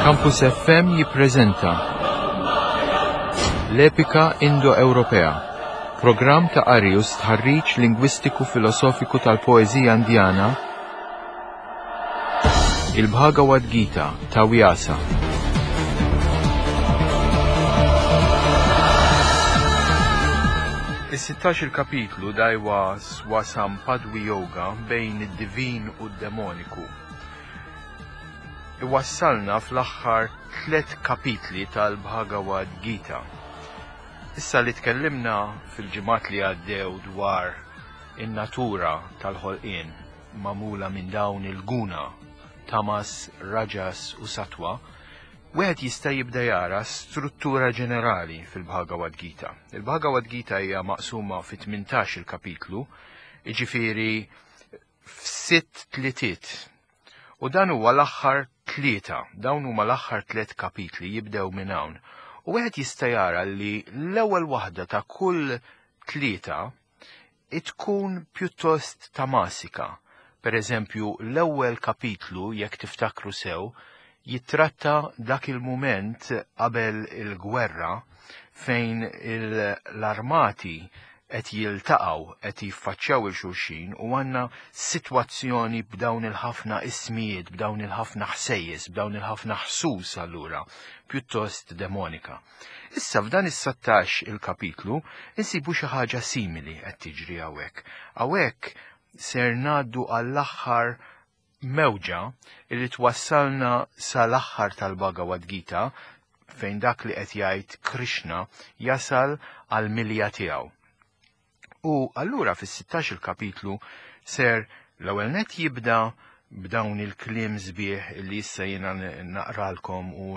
Campus FM jippreżenta L-Epika Indo-Ewropea, programm ta' qari u stħarriġ lingwistiku filosofiku tal-poeżija Indjana, il-Bhagavad Gita ta' Vyasa. Is-16 il-kapitlu dajwa Swasam Padwi Yoga bejn id-divin u d-demoniku. Iwassalna fl-aħħar tlet kapitli tal-Bhagavad Gita. Issa li tkellimna fil-ġimgħat li għaddew dwar in-natura tal-ħolqien magħmula minn dawn il-guna, tamas, rajas u satwa, wieħed jista' jibda jara struttura ġenerali fil-Bhagavad Gita. Il-Bhagavad Gita hija maqsuma fi 18 il-kapitlu, jiġifieri f'sitt tlitiet. U dan huwa l-aħħar tlieta, dawn huma l-aħħar tliet kapitli jibdew minn hawn. U wieħed jista' jara li l-ewwel waħda ta' kull tlieta tkun pjuttost tamasika. Per eżempju, l-ewwel kapitlu, jekk tiftakru sew, jittratta dak il-mument qabel il-gwerra fejn l-armati qed jiltaqgħu, qed jiffaċċjaw il xulxin u għandna sitwazzjoni b'dawn il-ħafna ismijiet, b'dawn il-ħafna ħsejjes, b'dawn il-ħafna ħsus allura, pjuttost demonika. Issa f'dan is-sattax il-kapitlu insibu xi ħaġa simili qed tiġri hawnhekk. Hawnhekk ser ngħaddu għall-aħħar mewġa li twassalna sal-aħħar tal-Bhagavad Gita fejn dak li qed jgħid Krishna jasal għal milja tiegħu. U allura fis-16 il-kapitlu ser l-ewwel net jibda b'dawn il-kliem sbieħ li issa jiena naqralkom u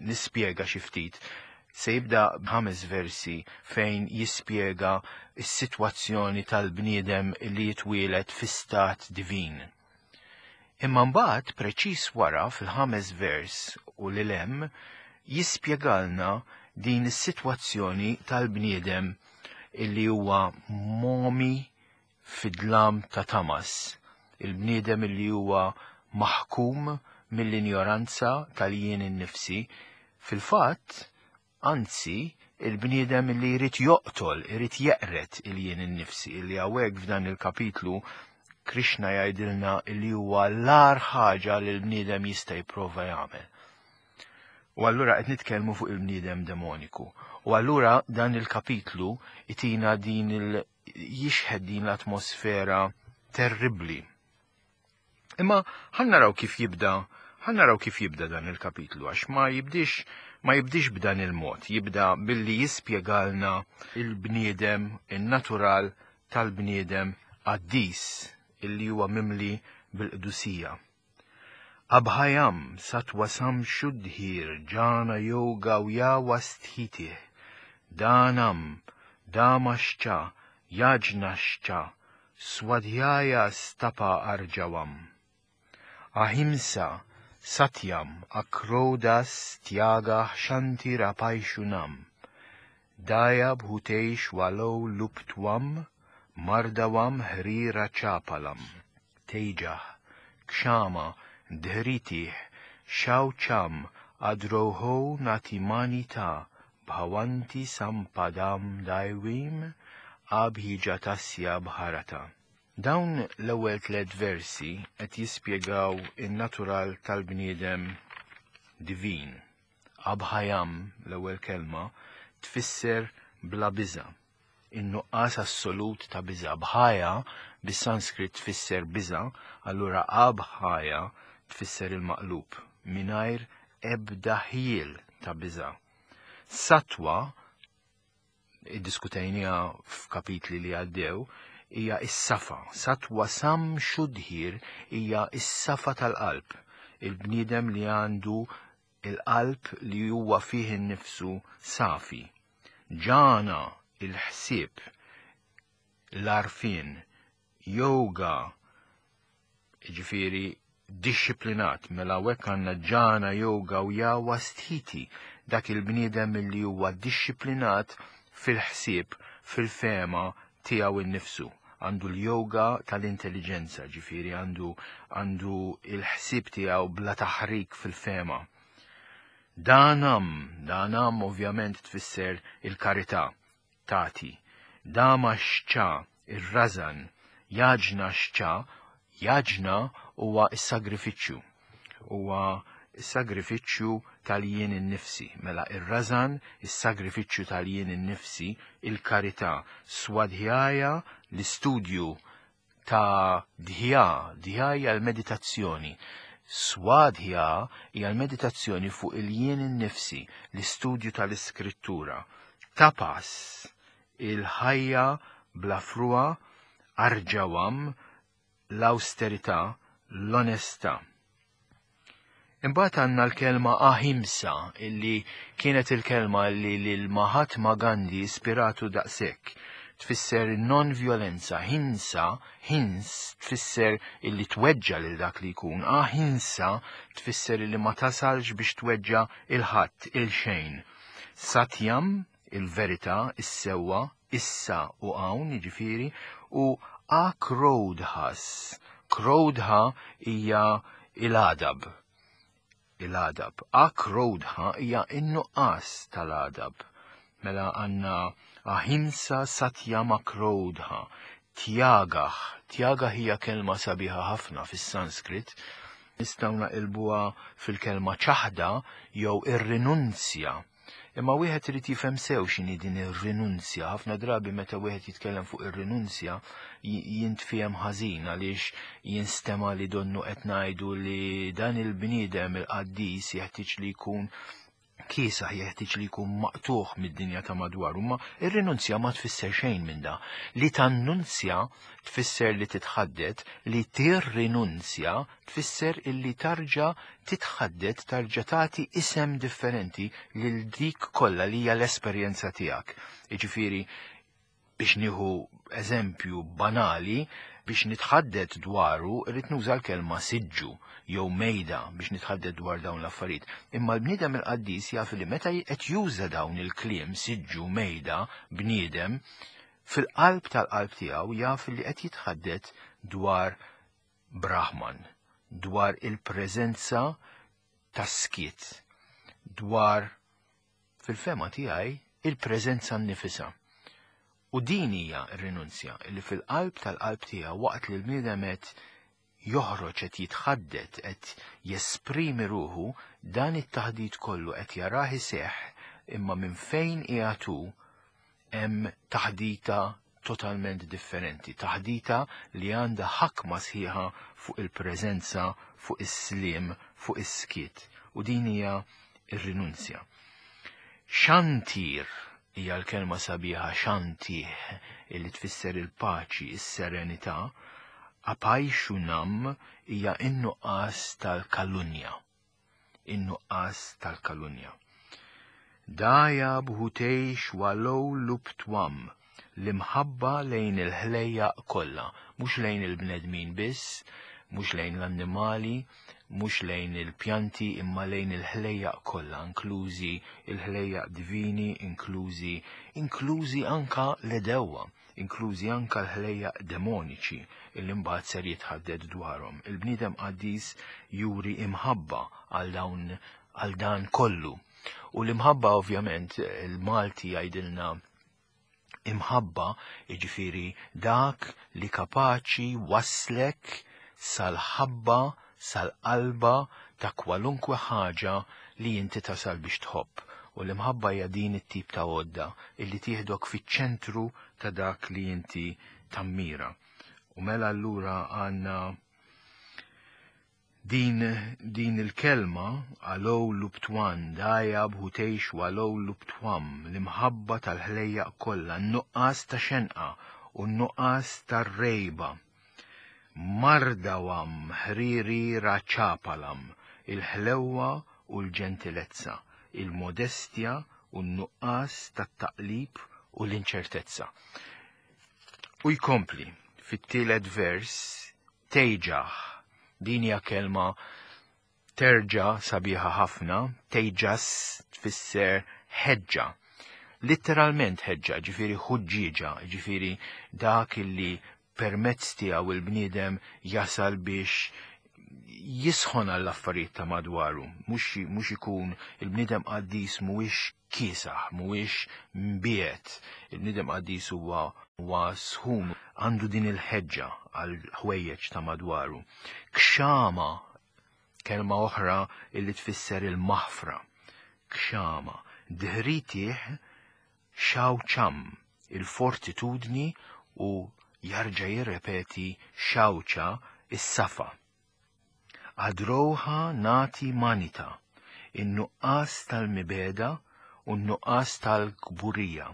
nispjega xi ftit. Se jibda b'ħames versi fejn jispjega s-sitwazzjoni tal-bniedem li jitwielet fi stat divin. Imma mbagħad preċiż wara fil-ħames vers u lil hemm jispjegalna din is-sitwazzjoni tal-bniedem illi huwa momi fid-dlam ta' Tamas, il-bniedem li huwa maħkum mill-injoranza tal-jien innifsi, fil-fatt, anzi, il-bniedem li jrid joqtol, irid jeqred il-jien innifsi, li hawnhekk f'dan il-kapitlu Krishna jgħidilna li huwa l-agħar ħaġa li l-bniedem jista' jipprova jagħmel. U allura qed nitkellmu fuq il-bniedem demoniku. U allura dan il-kapitlu itina din il jixħed din l-atmosfera terribbli. Imma ħan naraw kif jibda, ħan naraw kif jibda dan il-kapitlu għax ma jibdix ma jibdix b'dan il-mod, jibda billi jispjegalna il-bniedem, in-natural tal-bniedem qaddis illi huwa mimli bil-qdusija. Abhayam satwasam shuddhir jhana yoga vyavasthitih danam damascha yajnascha swadhyaya stapa arjavam ahimsa satyam akrodas tyaga shantirapaishunam daya bhuteshwalo luptwam mardavam hrirachapalam Tejah, Kshama, Dhritih, Shaucham, Adroho Natimanita, Bhavanti Sampadam Daivim, Abhijatasya Bharata. Dawn l-ewwel tliet versi qed jispjegaw in-natural tal-bniedem divin. Abhayam, l-ewwel kelma, tfisser bla biża'. In-nuqqas assolut ta' biża'. Bhaya bis-Sanskrit tfisser biża', allura abhaya tfisser il-maqlub, mingħajr ebda ħjiel ta' biża'. Satwa, iddiskutejniha f'kapitli li għaddew, hija s-safa. Satwa sam xudhir hija s-safa tal-qalb. Il-bniedem li għandu il-qalb li huwa fih innifsu safi. Ġana, il-ħsieb, l-għarfien, yoga, jiġifieri dixxiplinat, mela hawnhekk għandna ġana, yoga u yawa sthiti, dak il-bniedem li huwa dixxiplinat fil-ħsieb, fil-fehma tiegħu innifsu. Għandu l-yoga tal-intelliġenza, ġifieri għandu għandu il-ħsieb tiegħu bla taħrik fil-fehma. Danam, danam ovvjament tfisser il-karità, tagħti. Dama xċa, ir-rażan, jaġna xċa, jaġna huwa s-sagrifiċċju. Huwa s-sagrifiċċju tal-jien innifsi. Mela ir-rażan, is-sagrifiċċju tal-jien innifsi, il-karità, swadhjaya, l-istudju ta' dhya, dhya hija l-meditazzjoni. Swadhya hija l-meditazzjoni fuq il-jien innifsi, l-istudju tal-iskrittura. Tapas, il-ħajja bla frua, arġawam, l-awsterità, l-onestà. Imbagħad għandna l-kelma ahimsa illi kienet il-kelma li lil Mahatma Gandhi ispiratu daqshekk. Tfisser non-violenza, hinsa, hins tfisser illi tweġġa lil dak li jkun, ahimsa tfisser illi ma tasalx biex tweġġa il-ħadd, il-xejn. Satyam, il-verità, is-sewwa, issa u hawn, jiġifieri, u akrodhas. Krodha hija il-għadab. Il-għadab. Akrodha hija in-nuqqas tal-għadab. Mela għandna ahimsa satyam akrodha. Tjagah. Tjagah hija kelma sabiħa ħafna fis-Sanskrit. Nistgħu naqilbuha fil-kelma ċaħda jew ir-rinunzja. Imma wieħed irid jifhem sew x'inhi din ir-rinunzja. Ħafna drabi meta wieħed jitkellem fuq ir-rinunzja jintfiem ħażin għaliex jinstema' li donnu qed ngħidu li dan il-bniedem il-qaddis jeħtieġ li jkun kiesaħ, jeħtieġ li jkun maqtugħ mid-dinja ta' madwaru. Imma ir-rinunzja ma tfisser xejn minn da. Li tannunzja tfisser li titħaddet, li tirrinunzja tfisser illi tarġa' titħaddet, tarġa' tagħti isem differenti lil dik kollha li hija l-esperjenza tiegħek. Jiġifieri, biex nieħu eżempju banali, biex nitħaddet dwaru rrid nuża l-kelma siġġu jew mejda biex nitħaddet dwar dawn l-affarijiet. Imma l-bniedem il-qaddis jaf li meta qed juża dawn il-kliem siġġu, mejda, bniedem, fil-qalb tal-qalb tiegħu jaf li qed jitħaddet dwar Brahman, dwar il-preżenza tas-skiet, dwar, fil-fehma tiegħi, il-preżenza nnifisha. U din hija r-rinunzja, li fil-qalb tal-qalb tiegħu waqt li l-bniedem qed joħroġ, qed jitħaddet, qed jesprimi ruħu, dan it-taħdit kollu qed jarah iseħħ, imma minn fejn qiegħed hu hemm taħdita totalment differenti, taħdita li għandha ħakma sħiħa fuq il-preżenza, fuq is-sliem, fuq is-skiet. U din hija r-rinunzja. Xantir hija l-kelma sabiħa xantih illi tfisser il-paċi, is-serenità. Apajxunam hija n-nuqqas tal-kalunja. In-nuqqas tal-kalunja. Daya bhuteish walow luptwam, l-imħabba lejn il-ħlejjaq kollha, mhux lejn il-bnedmin biss, mhux lejn l-annimali, mhux lejn il-pjanti imma lejn il-ħlejjaq kollha, inklużi il-ħlejjaq divini, inklużi inklużi anka l-għedewwa, inklużi anka l-ħlejjaq demoniċi illi mbagħad ser jitħaddet dwarhom. Il-bniedem qaddis juri imħabba għal dawn għal dan kollu. U l-imħabba ovvjament il-Malti jgħidilna imħabba, jiġifieri dak li kapaċi waslek sal-ħabba, sal-qalba ta' kwalunkwe ħaġa li inti tasal biex tħobb. U l-imħabba hija din it-tip ta' għodda illi tieħdok fiċ-ċentru ta' dak li inti tammira. U mela allura għandna Din din il-kelma, Alou Luptwan, Daya Bhuteish Walou Luptwam, l-imħabba tal-ħlejjaq kollha, n-nuqqas ta' xenqa u n-nuqqas ta' rejba. Mardawam Hriri Rachapalam, il-ħlewwa u l-ġentilezza, il-modestja u n-nuqqas tat-taqlib u l-inċertezza. U jkompli fit-tielet vers Tejġah. Din hija kelma terġa' sabiħa ħafna, tejġas tfisser ħeġġa. Litteralment ħeġġa, ġifieri ħuġġieġa, ġifieri dak illi permezz tiegħu il-bniedem jasal biex Jisħon għall-affarijiet ta' madwaru, mhux ikun il-bniedem qaddis mhuwiex kiesaħ, mhuwiex mbiegħed. Il-bniedem qaddis huwa huwa sħun, għandu din il-ħeġġa għal ħwejjeġ ta' madwaru. Kxama, kelma oħra illi tfisser il-maħfra. Kxama, dħritih xawċam, il-fortitudni u jarġa' jirrepeti xawċa is-safa. Adroha nati manita, in-nuqqas tal-mibegħda u n-nuqqas tal-kburija.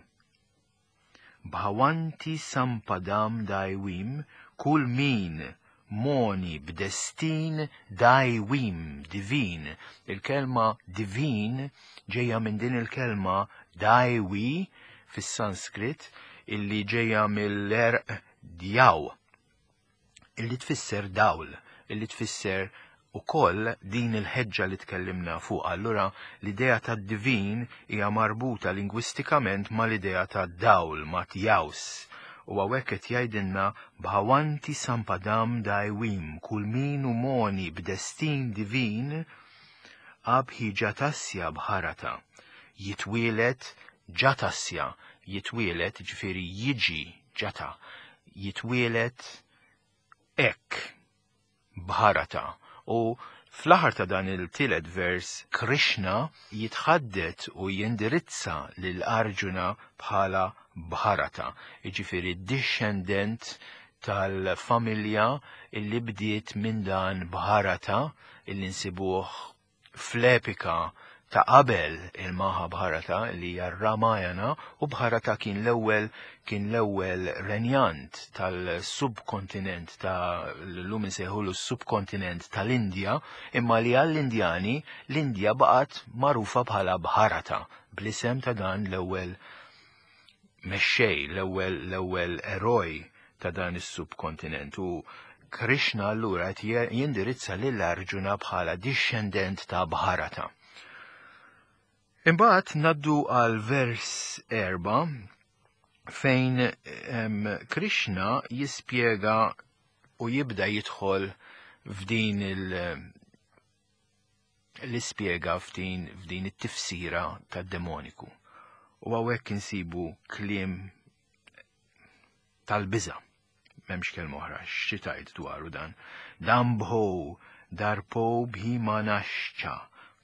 Bhawanti sampadam daiwim, kull min moni b'destin daiwim, divin. Il-kelma divin ġejja minn din il-kelma daiwi fis-Sanskrit illi ġejja mill-erq djaw illi tfisser dawl, illi tfisser ukoll din il-ħeġġa li tkellimna fuq. Allura l-idea tad-divin hija marbuta lingwistikament mal-idea tad-dawl, ma' tjaws. U hawnhekk qed jgħidilna bhawanti sampadam daiwim, kull min hu moni b'destin divin abhi jatasya bharata. Jitwieled jatasya, jitwieled ġifieri jiġi jata, jitwieled hekk Bharata. U fl-aħħar ta' dan il-tielet vers, Krishna jitħaddet u jindirizza lil Arjuna bħala Bharata, jiġifieri d-dixxendent tal-familja illi bdiet minn dan Bharata illi nsibuh fl-epika ta' qabel il-Mahabharata li hija r-Ramayana u Bharata kien l-ewwel kien l-ewwel renjant tal-subkontinent ta' l-lum insejħulu s-subkontinent tal-Indja imma li għall-Indjani l-Indja baqgħet magħrufa bħala Bharata bl-isem ta' dan l-ewwel mexxej, l-ewwel l-ewwel eroj ta' dan is-subkontinent u Krishna allura qed jindirizza lil Arjuna bħala dixxendent ta' Bharata. Imbagħad naddu għal vers erba' fejn Krishna jispjega u jibda jidħol f'din il- l-ispjega f'din f'din it-tifsira tad-demoniku. U hawnhekk insibu kliem tal-biża. M'hemmx kelma oħra xi tgħid dwaru dan. Dambho, darpo bhimanascha,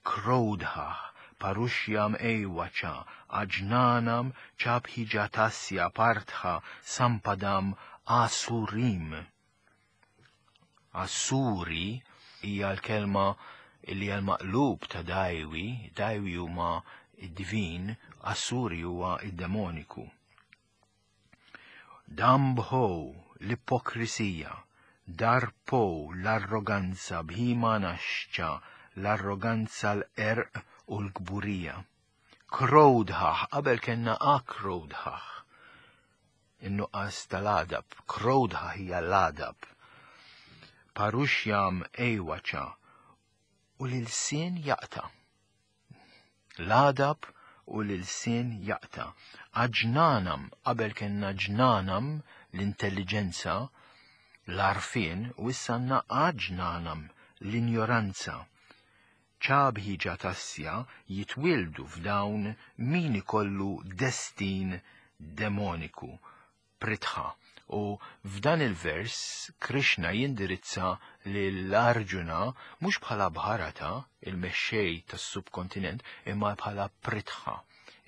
krodha, parushyam ewacha, ajnanam chabhijatasya partha sampadam asurim. Asuri hija l-kelma li hija l-maqlub ta' dajwi, dajwi huma d-divin, Asuri huwa d-demoniku. Dambho, l-ipokrisija, Darpo, l-arroganza, Bhimanascha, l-arroganza, l-qerq u l-kburija. Krodhah, qabel kellna akrodhah, in-nuqqas tal-għadab, krodha hija l-għadab. Parushyam ejwacha, u l-ilsien jaqta'. L-għadab u l-ilsien jaqta'. Aġnanam, qabel kellna ġnanam, l-intelliġenza, l-għarfien, u issa għandna aġnanam, l-injoranza. Ċabhi Ġatassja jitwieldu f'dawn min ikollu destin demoniku, Pritha. U f'dan il-vers Krishna jindirizza lil Arjuna mhux bħala Bharata, il-mexxej tas-subkontinent, imma bħala Pritha,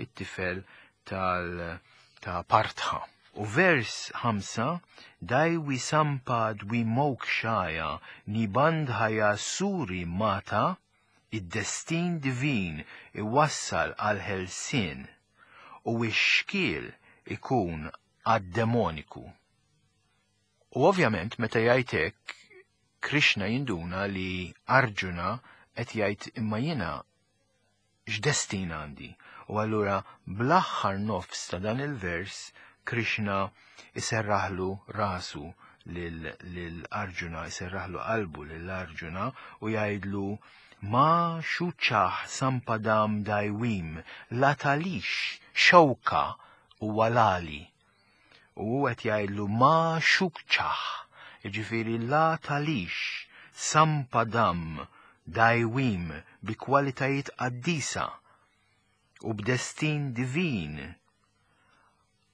it-tifel tal ta' Partha. U vers 5, Daiwi sampad vimokshaya nibandhaya suri mata, id-destin divin iwassal għal ħelsien u x-xkiel ikun għad-demoniku. U ovvjament meta jgħid hekk Krishna jinduna li Arjuna qed jgħid imma jiena x'destin għandi? U allura bl-aħħar nofs ta' dan il-vers Krishna iserraħlu rasu lil Arjuna, iserraħlu qalbu lil Arjuna u jgħidlu ma xuċaħ sampadam dajwim la talix xewka u walali. U hu qed jgħidlu ma xukċaħ, jiġifieri la talix. Sampadam, Daiwim, bi kwalitajiet qaddisa u b'destin divin.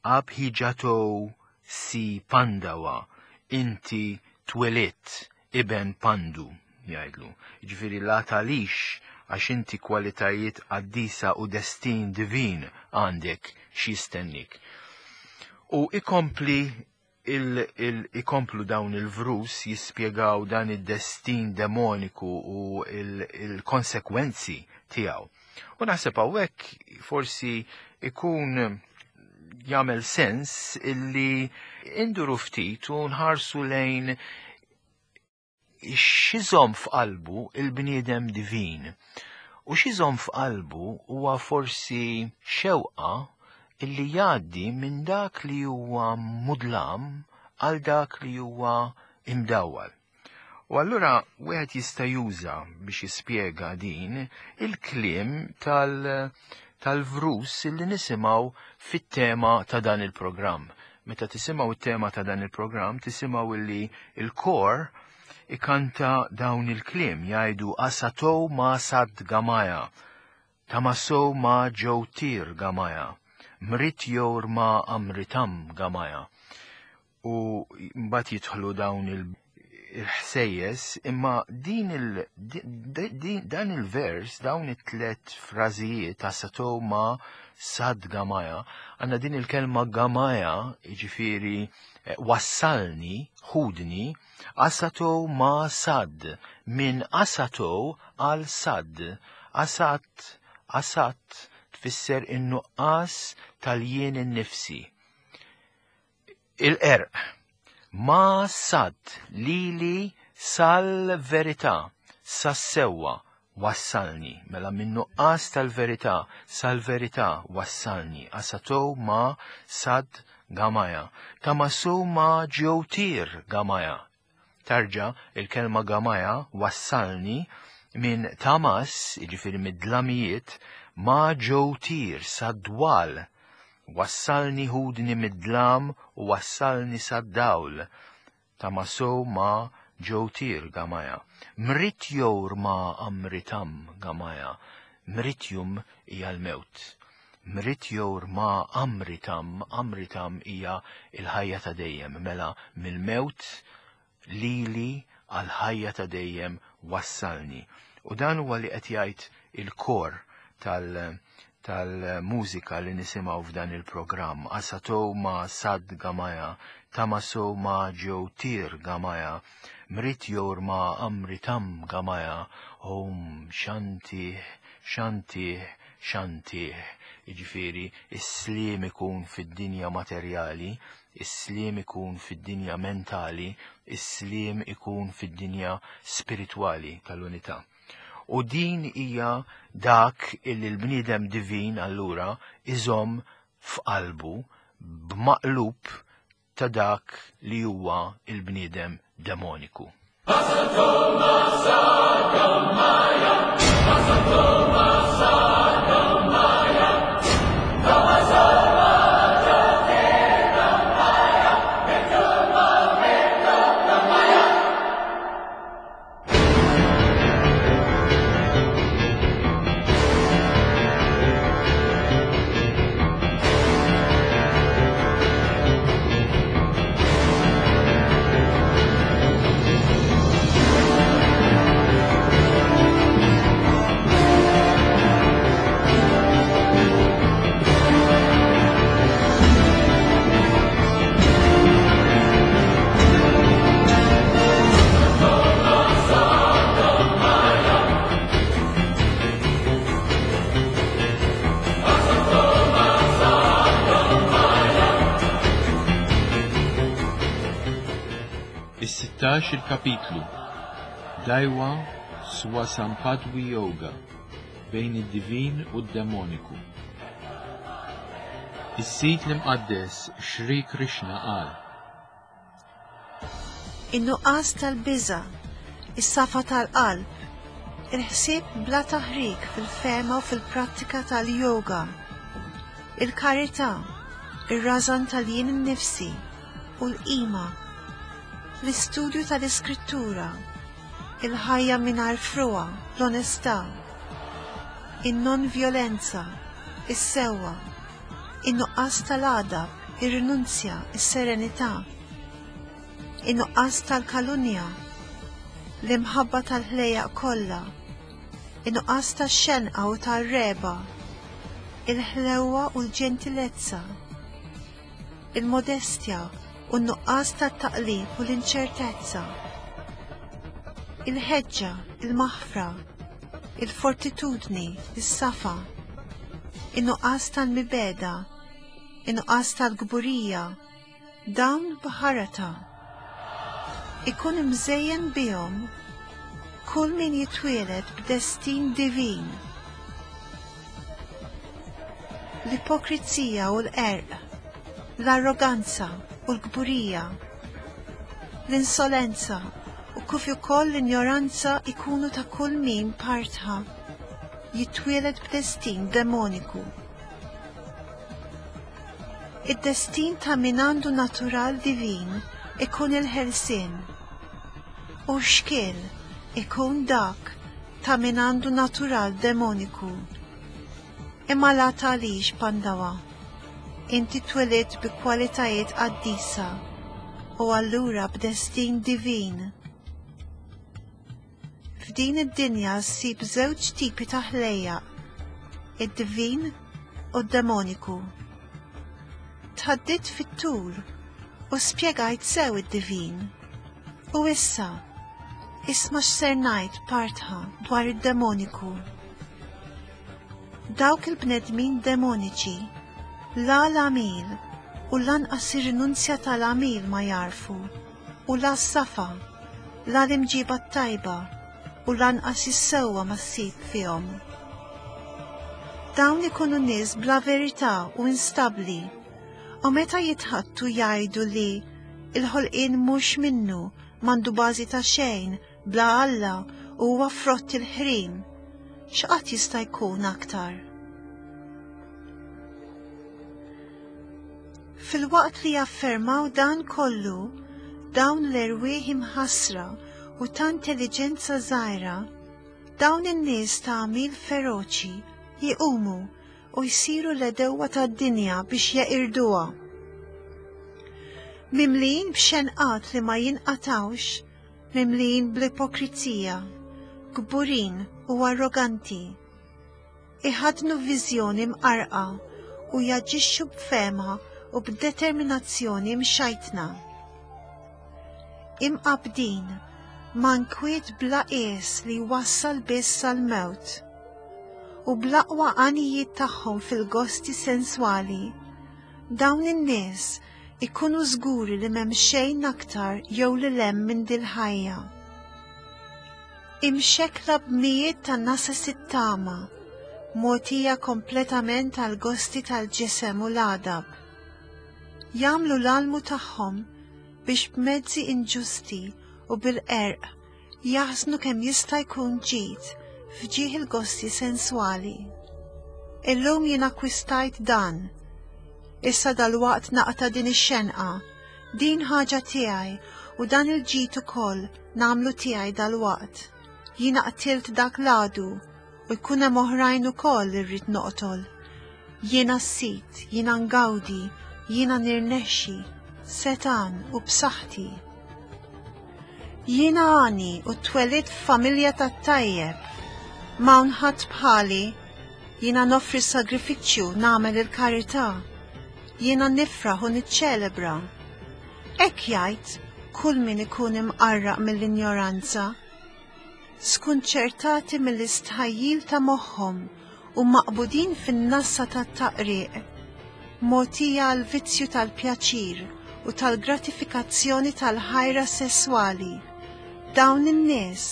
Abhijato si Pandawa, inti twelidt iben Pandu, jgħidlu. Jiġifieri la tagħlix għax inti kwalitajiet qaddisa u destin divin għandek x'jistennik. U ikompli il, il, ikomplu dawn il-vrus jispjegaw dan id-destin demoniku u il-konsekwenzi il tiegħu. U naħseb hawnhekk forsi ikun jagħmel sens illi induru ftit u nħarsu lejn x'izom f'qalbu il-bniedem divin. U x'izom f'qalbu huwa forsi xewqa illi jgħaddi minn dak li huwa mudlam għal dak li huwa imdawwal. U allura wieħed jista' juża biex jispjega din il-kliem tal- tal-vrus li nisimgħu fit-tema ta' dan il-programm. Meta tisimgħu it-tema ta' dan il-programm, tisimgħu illi il-kor ikanta dawn il-kliem jgħidu asato ma sad gamaya, tamaso ma ġewtir gamaya, mritjor ma amritam gamaya. U mbagħad jidħlu dawn il il-ħsejjes, imma din il, din, dan il-vers, dawn it-tlet frażijiet ta' sato ma sad gamaja, għanna din il-kelma gamaja, ġifiri eh, wassalni, ħudni, asato ma sad, minn asato għal sad, asat, asat tfisser in-nuqqas tal-jien innifsi. Il-qerq. Ma sad lili sal-verità, sas-sewwa wassalni. Mela minn nuqqas tal-verità sal-verità wassalni. Asato ma sad gamaja. Tamasu ma ġewtir gamaja. Tarġa il-kelma gamaja wassalni minn tamas, jiġifieri mid-dlamijiet, ma ġewtir sad-dwal Wassalni ħudni mid-dlam u wassalni sad-dawl. Tamaso ma ġewtir gamaja. Mritjor ma amritam gamaja. Mritjum hija l-mewt. Mritjor ma amritam, amritam hija il-ħajja ta' dejjem. Mela mill-mewt lili għal ħajja ta' dejjem wassalni. U dan huwa li qed jgħid il-kor tal- tal-mużika li nisimgħu f'dan il-programm. Asato ma sad gamaja, tamaso ma ġewtir gamaja, mritjor ma amritam gamaja, om xantih, xantih, xantih. Jiġifieri, is-sliem ikun fid-dinja materjali, is-sliem ikun fid-dinja mentali, is-sliem ikun fid-dinja spiritwali tal-unità. U din hija dak illi l-bniedem divin allura iżomm f'qalbu b'maqlub ta' dak li huwa il-bniedem demoniku. Is-16 il-kapitlu Daiwa Swasampadwi Yoga bejn id-divin u d-demoniku. Is-sit l-imqaddes Shri Krishna qal. In-nuqqas tal-biża', is-safa tal-qalb, il-ħsieb bla taħrik fil-fehma u fil-prattika tal-yoga, il-karità, ir-rażan tal-jien innifsi u l-qima, l-istudju tal-iskrittura. Il-ħajja mingħajr frugħa, l-onestà, in-non-vjolenza, is-sewwa, in-nuqqas tal-għadab, ir-rinunzja, is-serenità, in-nuqqas tal-kalunja, l-imħabba tal-ħlejjaq kollha, in-nuqqas tax-xenqa u tar-regħba, il-ħlewwa u l-ġentilezza, il-modestja u n-nuqqas tat-taqlib u l-inċertezza, il-ħeġġa, il-maħfra, il-fortitudni, is-safa, in-nuqqas tal-mibegħda, in-nuqqas tal-kburija, dawn Bharata. Ikun imżejjen bihom kull min jitwieled b'destin divin. L-ipokrizija u l-qerq, l-arroganza u l-kburija, l-insolenza u kif ukoll l-injoranza ikunu ta' kull min Partha jitwieled b'destin demoniku. Id-destin ta' min għandu natural divin ikun il-ħelsien, u x-xkiel ikun dak ta' min għandu natural demoniku. Imma la tagħlix, Pandawa, inti twelidt bi kwalitajiet qaddisa u allura b'destin divin. F'din id-dinja ssib żewġ tipi ta' ħlejjaq, id-divin u d-demoniku. Tħaddidt fit-tul u spjegajt sew id-divin. U issa, isma' x'ser ngħid Partha dwar id-demoniku. Dawk il-bnedmin demoniċi la l-għamil u lanqas ir-rinunzja tal-għamil ma jagħrfu u la s-safa, la l-imġiba t-tajba u lanqas is-sewwa ma ssib fihom. Dawn ikunu nies bla verità u instabbli u meta jitħaddtu jgħidu li l-ħolqien mhux minnu, m'għandu bażi ta' xejn, bla Alla u huwa frott il-ħrim. X'qatt jista' jkun aktar? Filwaqt li jaffermaw dan kollu, dawn l-erwieħ imħassra u ta' intelliġenza żgħira, dawn in-nies ta' għamil feroċi jqumu u jsiru l-għedewwa tad-dinja biex jeqirduha. Mimlijin b'xenqat li ma jinqatgħux, mimlijin bl-ipokrizija, kburin u arroganti. Iħaddnu viżjoni mqarrqa u jaġixxu b'fehma u b'determinazzjoni mxajtna. Imqabbdin ma' nkwiet bla qies li jwassal biss għall-mewt u bl-aqwa għanijiet tagħhom fil-gosti senswali, dawn in-nies ikunu żguri li m'hemm xejn aktar jew lil hemm minn dil-ħajja. Imxekkla b'mijiet ta' nases it-tama, mogħtija kompletament għall-gosti tal-ġisem u l-għadab. Jagħmlu l-almu tagħhom biex b'mezzi inġusti u bil-qerq jaħżnu kemm jista' jkun ġid f'ġieħ il-gosti senswali. Illum jien akkwistajt dan. Issa dalwaqt naqta' din ix-xenqa. Din ħaġa tiegħi u dan il-ġid ukoll nagħmlu tiegħi dalwaqt. Jiena qtilt dak l-għadu u jkun hemm oħrajn ukoll li rrid noqtol. Jiena s-sid, jiena ngawdi, jiena nirnexxi, setgħan u b'saħħti. Jiena għani u twelidt f'familja tat-tajjeb. M'hawn ħadd bħali. Jiena noffri s-sagrifiċċju, nagħmel il-karità. Jiena nifraħ u niċċelebra. Hekk jgħid kull min ikun imqarraq mill-injoranza. Skunċertati mill-istħajjil ta' moħħhom u maqbudin fin-nassa tat-taqriq, mogħtija għall-vizzju tal-pjaċir u tal-gratifikazzjoni tal-ħajra sesswali, dawn in-nies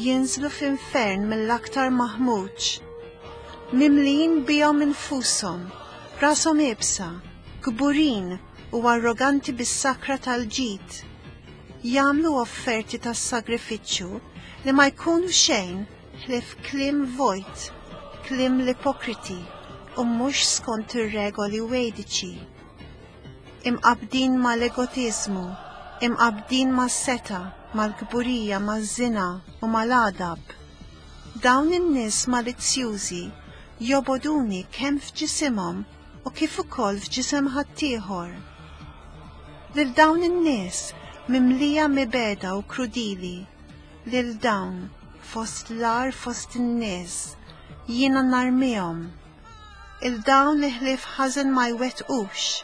jinżlu f'infern mill-aktar maħmuġ. Mimlijin bihom infushom, rashom iebsa, kburin u arroganti bis-sakra tal-ġid, jagħmlu offerti tas-sagrifiċċju li ma jkunu xejn ħlief kliem vojt, kliem l-ipokriti u mhux skont ir-regoli Vediċi. Imqabbdin ma' l-egotiżmu, Imqabbdin mas-setgħa, mal-kburija, maż-żina u mal-għadab. Dawn in-nies malizzjużi jobogħduni kemm f'ġisimhom u kif ukoll f'ġisem ħaddieħor. Lil dawn in-nies mimlija mibegħda u krudili, lil dawn fost l-agħar fost in-nies, jiena narmihom. 'Il dawn li ħlief ħażen ma jwettqux,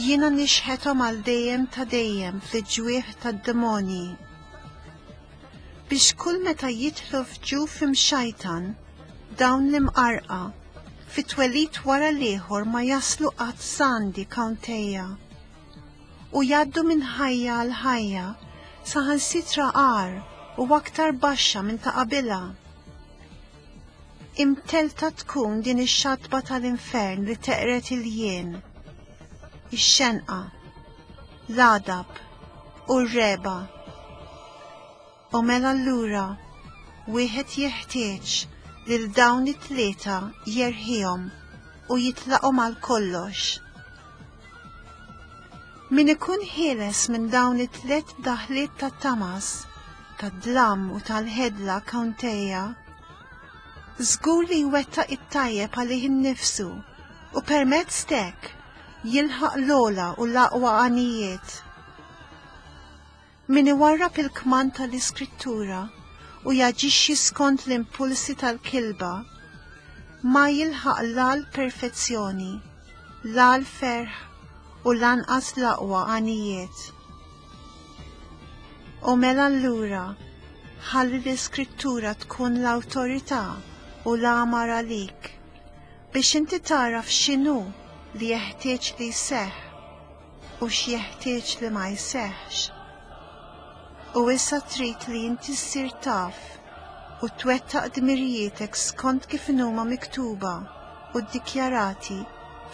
jiena nixħethom għal dejjem ta' dejjem fl-ġwieħ tad-demonji. Biex kull meta jidħlu f'ġuf imxajtan, dawn l-imqarrqa, fi twelid wara l-ieħor ma jaslu qatt s'għandi Kaunteja. U jgħaddu minn ħajja għal ħajja, saħansitra agħar u aktar baxxa minn ta' qabilha. Imtellta tkun din ix-xatba tal-infern li teqred il-jien, ix-xenqa, l-għadab u r-regħba. U mela allura wieħed jeħtieġ lil dawn it-tlieta jerħihom u jitlaqhom għal kollox. Min ikun ħieles minn dawn it-tliet daħliet tat-tamas, tad-dlam u tal-ħedla Kaunteja, żgur li jwettaq it-tajjeb għalih innifsu u permezz t'hekk jilħaq l-ogħla u l-aqwa għanijiet. Min iwarrab il-kmand tal-Iskrittura u jaġixxi skont l-impulsi tal-kilba, ma jilħaq la l-perfezzjoni, la l-ferħ u lanqas l-aqwa għanijiet. U mela allura, ħalli l-Iskrittura tkun l-awtorità u l-għamar għalik, biex inti tagħraf x'inhu li jeħtieġ li jseħħ u x'jeħtieġ li ma jseħħx. U issa trid li inti ssir taf u twettaq dmirijietek skont kif inhuma miktuba u ddikjarati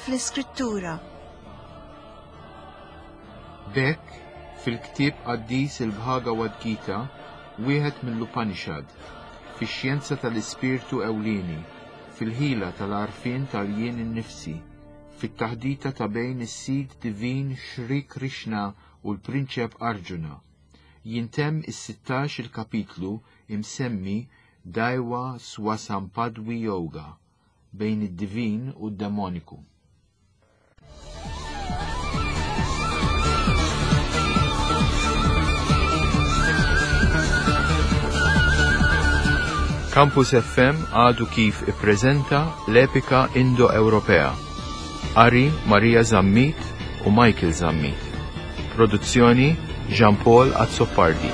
fl-Iskrittura. B'hekk, fil-ktieb qaddis il-Bhagavad Gita, wieħed mill-Upanishad, fix-xjenza tal-ispirtu ewlieni, fil-ħila tal-għarfien tal-jien innifsi, fit-taħdita ta' bejn is-Sid Divin Shri Krishna u l-Prinċep Arjuna, jintemm is-sittax il-kapitlu imsemmi Daiva Swasampadwi Yoga, bejn id-divin u d-demoniku. Campus FM għadu kif ippreżenta l-epika Indo-Ewropea. Qari Maria Zammit u Michael Zammit. Produzzjoni Jean Paul Azzopardi.